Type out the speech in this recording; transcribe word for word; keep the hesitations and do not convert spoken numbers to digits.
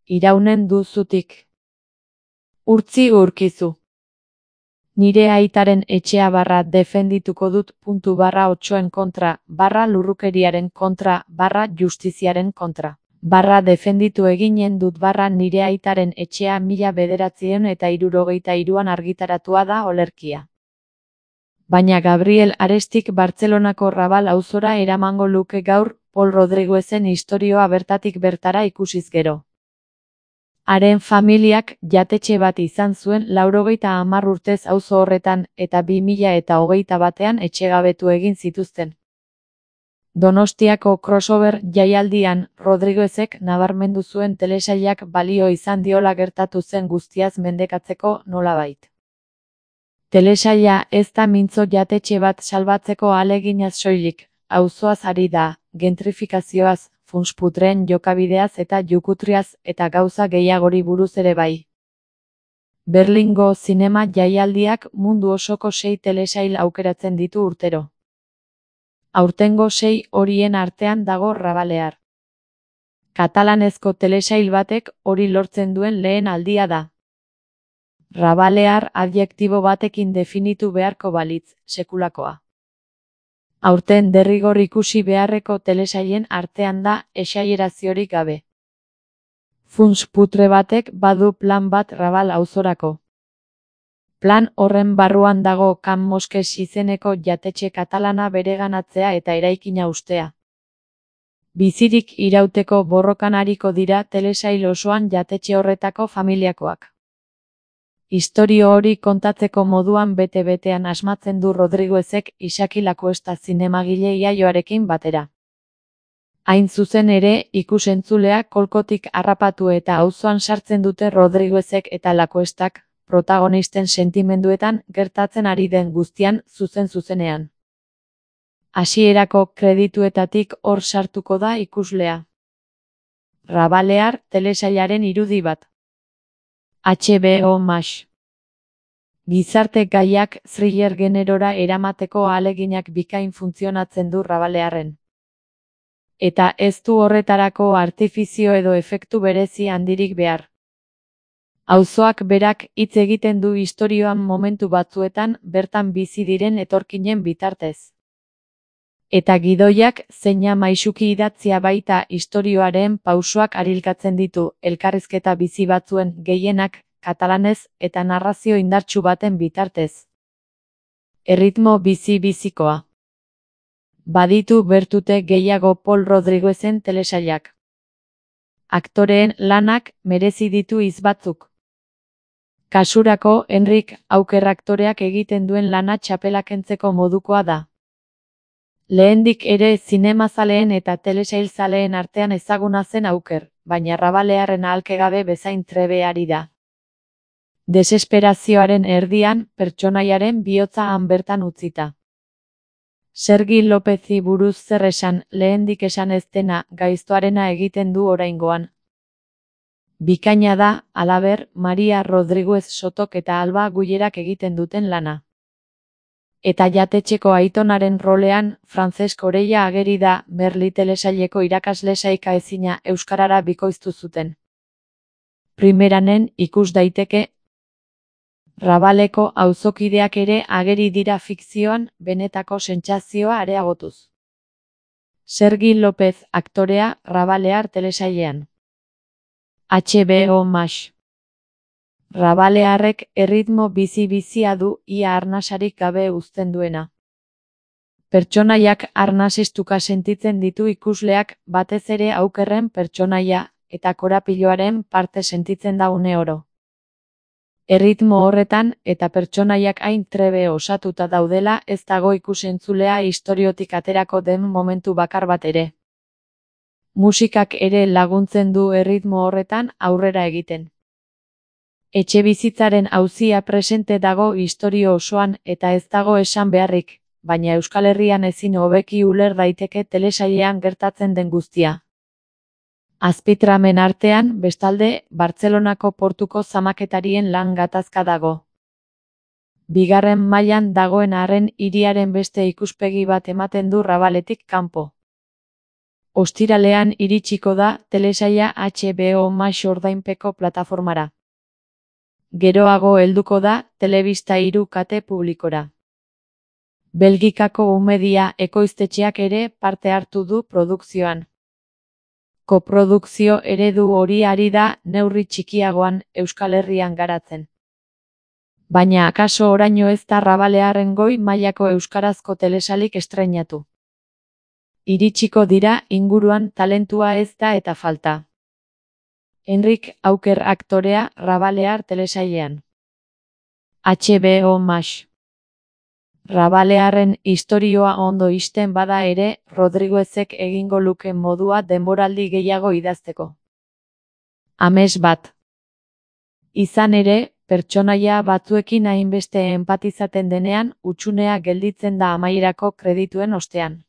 Iraunen duzutik. Urtzi urkizu. Nire aitaren etxea barra defendituko dut puntu barra otsoen kontra, barra lurrukeriaren kontra, barra justiziaren kontra. Barra defenditu eginen dut barra nire aitaren etxea mila bederatziehun eta hirurogeita hiruan argitaratua da olerkia. Baina Gabriel Arestik Bartzelonako Rabal auzora eramango luke gaur, Pol Rodriguezen istorioa bertatik bertara ikusiz gero. Haren familiak jatetxe bat izan zuen laurogeita hamar urtez auzo horretan eta bi mila eta hogeita batean etxegabetu egin zituzten. Donostiako crossover jaialdian Rodriguezek nabarmendu zuen telesailak balio izan diola gertatu zen guztiaz mendekatzeko nolabait. Telesaila ez da mintzo jatetxe bat salbatzeko ahaleginaz soilik, auzoaz ari da, gentrifikazioaz, funsputren jokabideaz eta jukutriaz eta gauza gehiagori buruz ere bai. Berlingo zinema jaialdiak mundu osoko sei telesail aukeratzen ditu urtero. Aurtengo sei horien artean dago Rabalear. Katalanezko telesail batek hori lortzen duen lehen aldia da. Rabalear adjektibo batekin definitu beharko balitz, sekulakoa. Aurten derrigor ikusi beharreko telesailen artean da esaieraziorik gabe. Funtsputre batek badu plan bat Rabal auzorako. Plan horren barruan dago Can Mosques izeneko jatetxe katalana bereganatzea eta eraikina ustea. Bizirik irauteko borrokan ariko dira telesail osoan jatetxe horretako familiakoak. Istorio hori kontatzeko moduan bete-betean asmatzen du Rodriguezek Isaki Lakuesta zinemagile iaioarekin batera. Hain zuzen ere, ikusentzulea kolkotik harrapatu eta auzoan sartzen dute Rodriguezek eta Lakuestak, protagonisten sentimenduetan gertatzen ari den guztian zuzen-zuzenean. Hasierako kredituetatik hor sartuko da ikuslea. Rabalear telesailaren irudi bat. H B O Max. Gizarte gaiak thriller generora eramateko ahaleginak bikain funtzionatzen du Rabalearren. Eta ez du horretarako artifizio edo efektu berezi handirik behar. Auzoak berak hitz egiten du istorioan momentu batzuetan bertan bizi diren etorkinen bitartez. Eta gidoiak zeina maisuki idatzia baita istorioaren pausoak arilkatzen ditu, elkarrizketa bizi batzuen gehienak katalanez eta narrazio indartsu baten bitartez. Erritmo bizi-bizikoa. Baditu bertute gehiago Pol Rodriguezen telesailak. Aktoreen lanak merezi ditu hitz batzuk. Kasurako Enrik Auker aktoreak egiten duen lana txapela kentzeko modukoa da. Lehendik ere zinemazaleen eta telesailzaleen artean ezaguna zen Auker, baina Rabalearren ahalkegabe bezain trebe ari da. Desesperazioaren erdian, pertsonaiaren bihotza han bertan utzita. Sergi Lopezi buruz zer esan, lehendik esan ez dena, gaiztoarena egiten du oraingoan. Bikaina da, halaber, Maria Rodriguez Sotok eta Alba Guillerak egiten duten lana. Eta jatetxeko aitonaren rolean, Francesc Orella ageri da, Merli telesaileko irakasle saika ezina euskarara bikoiztu zuten. Primeranen ikus daiteke, Rabaleko auzokideak ere ageri dira fikzioan, benetako sentsazioa areagotuz. Sergi López aktorea Rabalear telesailean. H B O Max. Rabalearrek erritmo bizi-bizia du ia arnasarik gabe uzten duena. Pertsonaiak arnasistuka sentitzen ditu ikusleak, batez ere Aukerren pertsonaia eta korapiloaren parte sentitzen da une oro. Erritmo horretan eta pertsonaiak hain trebe osatuta daudela ez dago ikusentzulea istoriotik aterako den momentu bakar bat ere. Musikak ere laguntzen du erritmo horretan aurrera egiten. Etxebizitzaren auzia presente dago istorio osoan eta ez dago esan beharrik, baina Euskal Herrian ezin hobeki uler daiteke telesailean gertatzen den guztia. Azpitramen artean, bestalde, Bartzelonako portuko zamaketarien lan gatazka dago. Bigarren mailan dagoen arren hiriaren beste ikuspegi bat ematen du Rabaletik kanpo. Ostiralean iritsiko da telesaila H B O Max ordainpeko plataformara. Geroago helduko da telebista hiru kate publikora. Belgikako umedia ekoiztetxeak ere parte hartu du produkzioan. Koprodukzio eredu hori ari da neurri txikiagoan Euskal Herrian garatzen. Baina akaso oraino ez da Rabalearren goi mailako euskarazko telesailik estreinatu. Iritsiko dira inguruan talentua ez da eta falta. Enrik Auker aktorea Rabalear telesailean. H B O Max. Rabalearren istorioa ondo ixten bada ere, Rodriguezek egingo luke modua denboraldi gehiago idazteko. Amets bat. Izan ere, pertsonaia batzuekin hainbeste enpatizaten denean, hutsunea gelditzen da amaierako kredituen ostean.